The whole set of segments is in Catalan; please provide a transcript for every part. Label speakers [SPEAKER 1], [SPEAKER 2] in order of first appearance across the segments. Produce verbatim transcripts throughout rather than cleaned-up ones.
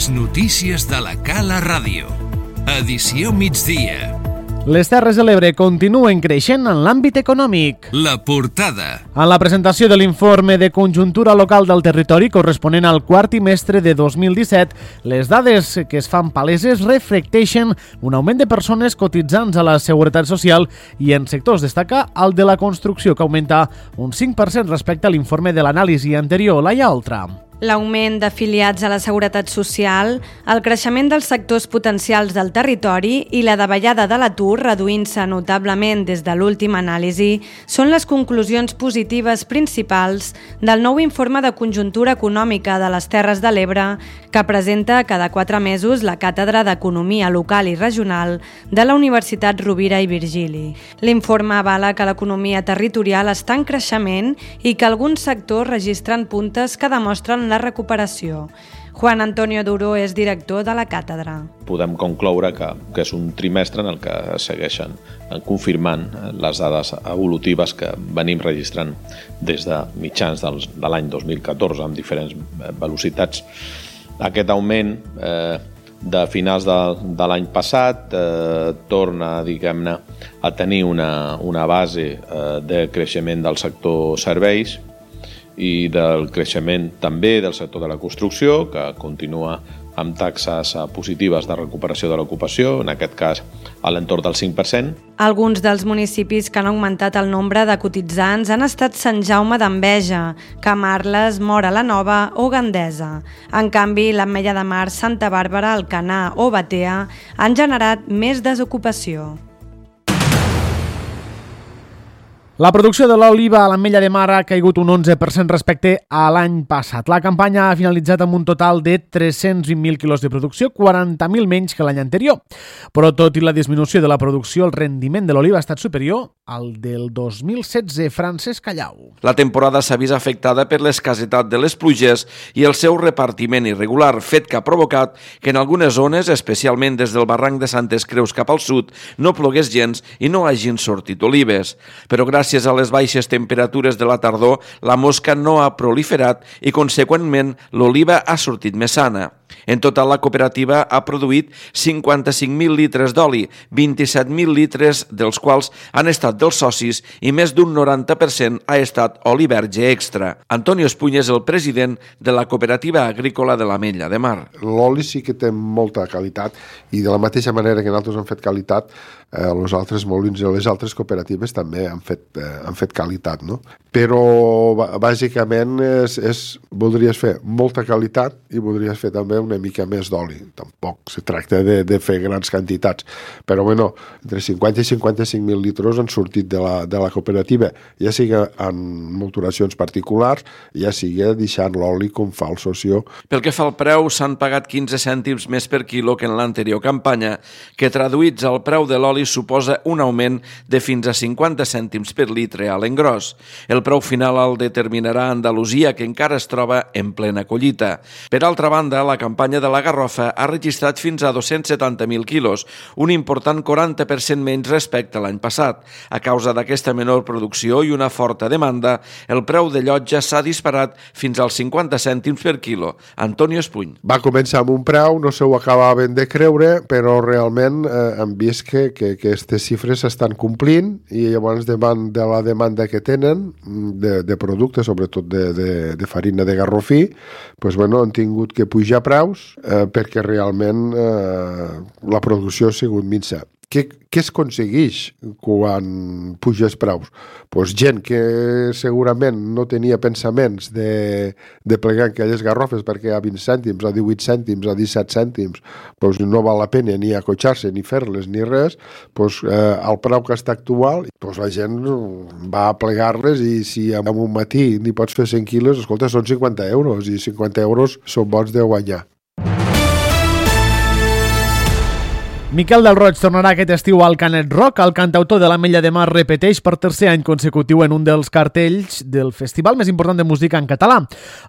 [SPEAKER 1] Les notícies de la Cala Ràdio. Edició migdia.
[SPEAKER 2] Les Terres de l'Ebre continuen creixent en l'àmbit econòmic.
[SPEAKER 1] La portada.
[SPEAKER 2] En la presentació de l'informe de conjuntura local del territori corresponent al quart trimestre de dos mil disset, les dades que es fan paleses reflecteixen un augment de persones cotitzants a la Seguretat Social i en sectors destaca el de la construcció, que augmenta un cinc per cent respecte a l'informe de l'anàlisi anterior. Laia Oltra.
[SPEAKER 3] L'augment d'afiliats a la Seguretat Social, el creixement dels sectors potencials del territori i la davallada de l'atur reduint-se notablement des de l'última anàlisi són les conclusions positives principals del nou informe de conjuntura econòmica de les Terres de l'Ebre que presenta cada quatre mesos la Càtedra d'Economia Local i Regional de la Universitat Rovira i Virgili. L'informe avala que l'economia territorial està en creixement i que alguns sectors registren puntes que demostren la recuperació. Juan Antonio Duro és director de la càtedra.
[SPEAKER 4] Podem concloure que, que és un trimestre en el que segueixen confirmant les dades evolutives que venim registrant des de mitjans del, de l'any dos mil catorze amb diferents velocitats. Aquest augment eh, de finals de, de l'any passat eh, torna, diguem-ne, a tenir una, una base eh, de creixement del sector serveis i del creixement també del sector de la construcció, que continua amb taxes positives de recuperació de l'ocupació, en aquest cas a l'entorn del cinc per cent.
[SPEAKER 3] Alguns dels municipis que han augmentat el nombre de cotitzants han estat Sant Jaume d'Enveja, Camarles, Móra la Nova o Gandesa. En canvi, l'Ametlla de Mar, Santa Bàrbara, Alcanar o Batea han generat més desocupació.
[SPEAKER 2] La producció de l'oliva a l'Ametlla de Mar ha caigut un onze per cent respecte a l'any passat. La campanya ha finalitzat amb un total de tres-cents vint mil quilos de producció, quaranta mil menys que l'any anterior. Però tot i la disminució de la producció, el rendiment de l'oliva ha estat superior al del dos mil setze. Francesc Callau.
[SPEAKER 5] La temporada s'ha vist afectada per l'escassetat de les pluges i el seu repartiment irregular, fet que ha provocat que en algunes zones, especialment des del barranc de Santes Creus cap al sud, no plogués gens i no hagin sortit olives. Però gràcies Gràcies a les baixes temperatures de la tardor, la mosca no ha proliferat i, conseqüentment, l'oliva ha sortit més sana. En total, la cooperativa ha produït cinquanta-cinc mil litres d'oli, vint-i-set mil litres dels quals han estat dels socis i més d'un noranta per cent ha estat oli verge extra. Antonio Espuny és el president de la cooperativa agrícola de l'Ametlla de Mar.
[SPEAKER 6] L'oli sí que té molta qualitat i de la mateixa manera que nosaltres hem fet qualitat, eh, els altres molins i les altres cooperatives també han fet, eh, han fet qualitat, no? Però bàsicament és, és, voldries fer molta qualitat i voldries fer també una mica més d'oli. Tampoc se tracta de, de fer grans quantitats, però bueno, entre cinquanta i cinquanta-cinc mil litres han sortit de la, de la cooperativa, ja sigui en molturacions particulars, ja sigui deixant l'oli com fa el socio.
[SPEAKER 5] Pel que fa al preu, s'han pagat quinze cèntims més per quilo que en l'anterior campanya, que traduïts al preu de l'oli suposa un augment de fins a cinquanta cèntims per litre a l'engròs. El preu final el determinarà Andalusia, que encara es troba en plena collita. Per altra banda, la campanya de la garrofa ha registrat fins a dos-cents setanta mil quilos, un important quaranta per cent menys respecte a l'any passat. A causa d'aquesta menor producció i una forta demanda, el preu de llotja s'ha disparat fins als cinquanta cèntims per quilo. Antonio Espuny.
[SPEAKER 6] Va començar amb un preu, no se ho acabaven de creure, però realment eh, hem vist que, que, que aquestes xifres s'estan complint i llavors davant de la demanda que tenen de, de productes, sobretot de, de, de farina de garrofí, pues, bueno, han tingut que pujar preus eh, perquè realment eh, la producció ha sigut minsa. Què, què es aconsegueix quan puges preus? Pues gent que segurament no tenia pensaments de, de plegar aquelles garrofes perquè a vint cèntims, a divuit cèntims, a disset cèntims, pues no val la pena ni acotxar-se, ni fer-les, ni res, pues, eh, al preu que està actual, pues la gent va a plegar-les i si en un matí n'hi pots fer cent quilos, escolta, són cinquanta euros i cinquanta euros són bons de guanyar.
[SPEAKER 2] Miquel del Roig tornarà aquest estiu al Canet Rock. El cantautor de l'Ametlla de Mar repeteix per tercer any consecutiu en un dels cartells del festival més important de música en català.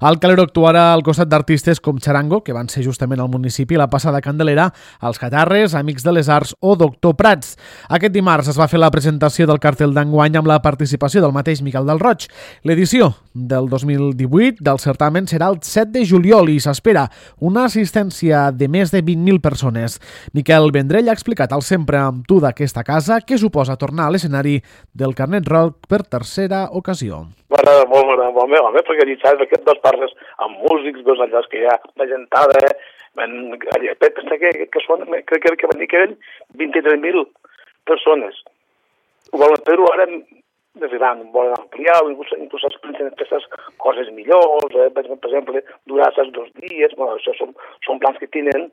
[SPEAKER 2] El Calero actuarà al costat d'artistes com Charango, que van ser justament al municipi la passada Candelera, Els Catarres, Amics de les Arts o Doctor Prats. Aquest dimarts es va fer la presentació del cartell d'enguany amb la participació del mateix Miquel del Roig. L'edició del dos mil divuit del certamen serà el set de juliol i s'espera una assistència de més de vint mil persones. Miquel Vendrell ha explicat al Sempre amb tu d'aquesta casa què suposa tornar a l'escenari del Canet Rock per tercera ocasió.
[SPEAKER 7] M'agrada molt, m'agrada molt, home, home, perquè allà saps que dos parles amb músics, dos allà que hi ha la gentada, pensa que, que, són, crec que, que van dir que eren vint-i-tres mil persones. Ho volen fer-ho ara més gran, volen ampliar, inclús, inclús expliquen aquestes coses millors, eh? per exemple, durar aquests dos dies, bueno, això són, són plans que tenen,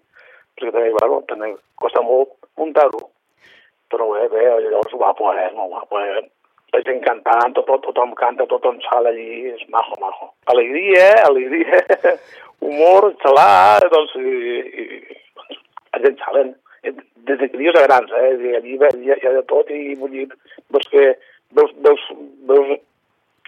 [SPEAKER 7] perquè també, bueno, també costa molt muntar-ho. Però bé, bé, llavors ho va poder, no ho va poder. La gent cantant, tot, tot, tothom canta, tothom sala allí, és majo, majo. Alegria, alegria, humor, xalar, doncs, i, i, doncs, la gent xalen, des de crios a grans, eh, i allí hi ha, hi ha de tot, i vull dir, doncs que veus, veus, veus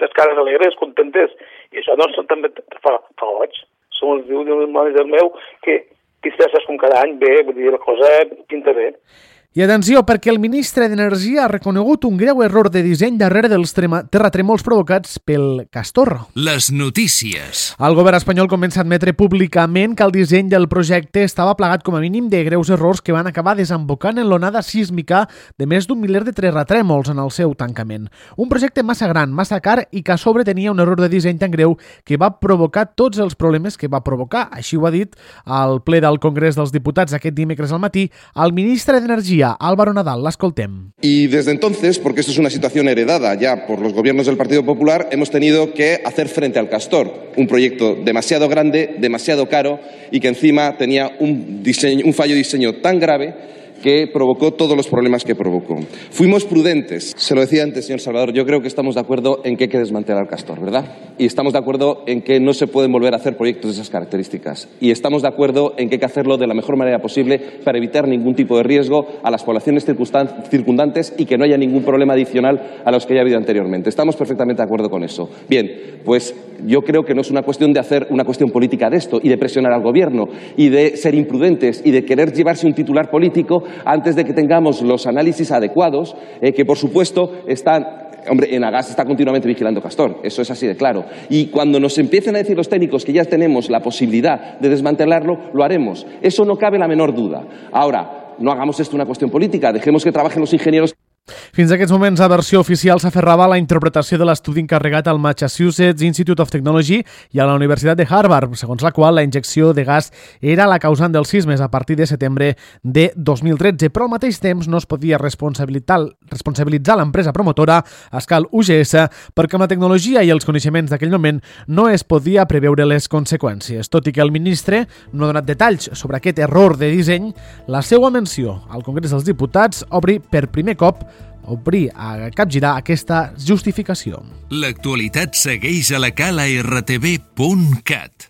[SPEAKER 7] les cares alegres, contentes, i això doncs també fa, fa goig. Som els diu del manager meu que que estàs com cada any bé, vull dir, la cosa pinta bé.
[SPEAKER 2] I atenció, perquè el ministre d'Energia ha reconegut un greu error de disseny darrere dels terratrèmols provocats pel Castor.
[SPEAKER 1] Les notícies.
[SPEAKER 2] El govern espanyol comença a admetre públicament que el disseny del projecte estava plagat com a mínim de greus errors que van acabar desembocant en l'onada sísmica de més d'un miler de terratrèmols en el seu tancament. Un projecte massa gran, massa car i que a sobre tenia un error de disseny tan greu que va provocar tots els problemes que va provocar. Així ho ha dit al ple del Congrés dels Diputats aquest dimecres al matí el ministre d'Energia, Álvaro Nadal. L'escoltem.
[SPEAKER 8] Y desde entonces, porque esto es una situación heredada ya por los gobiernos del Partido Popular, hemos tenido que hacer frente al Castor, un proyecto demasiado grande, demasiado caro y que encima tenía un, diseño, un fallo de diseño tan grave que provocó todos los problemas que provocó. Fuimos prudentes. Se lo decía antes, señor Salvador, yo creo que estamos de acuerdo en que hay que desmantelar Castor, ¿verdad? Y estamos de acuerdo en que no se pueden volver a hacer proyectos de esas características. Y estamos de acuerdo en que hay que hacerlo de la mejor manera posible para evitar ningún tipo de riesgo a las poblaciones circundantes y que no haya ningún problema adicional a los que ya ha habido anteriormente. Estamos perfectamente de acuerdo con eso. Bien, pues yo creo que no es una cuestión de hacer una cuestión política de esto y de presionar al gobierno y de ser imprudentes y de querer llevarse un titular político antes de que tengamos los análisis adecuados, eh, que por supuesto están... Hombre, Enagás está continuamente vigilando Castor, eso es así de claro. Y cuando nos empiecen a decir los técnicos que ya tenemos la posibilidad de desmantelarlo, lo haremos. Eso no cabe la menor duda. Ahora, no hagamos esto una cuestión política, dejemos que trabajen los ingenieros.
[SPEAKER 2] Fins a aquests moments, la versió oficial s'aferrava a la interpretació de l'estudi encarregat al Massachusetts Institute of Technology i a la Universitat de Harvard, segons la qual la injecció de gas era la causant dels sismes a partir de setembre de dos mil tretze, però al mateix temps no es podia responsabilitzar, responsabilitzar l'empresa promotora, Escal U G S, perquè amb la tecnologia i els coneixements d'aquell moment no es podia preveure les conseqüències. Tot i que el ministre no ha donat detalls sobre aquest error de disseny, la seva menció al Congrés dels Diputats obri per primer cop obrir a capgirar aquesta justificació.
[SPEAKER 1] L'actualitat segueix a la cala r t v punt cat.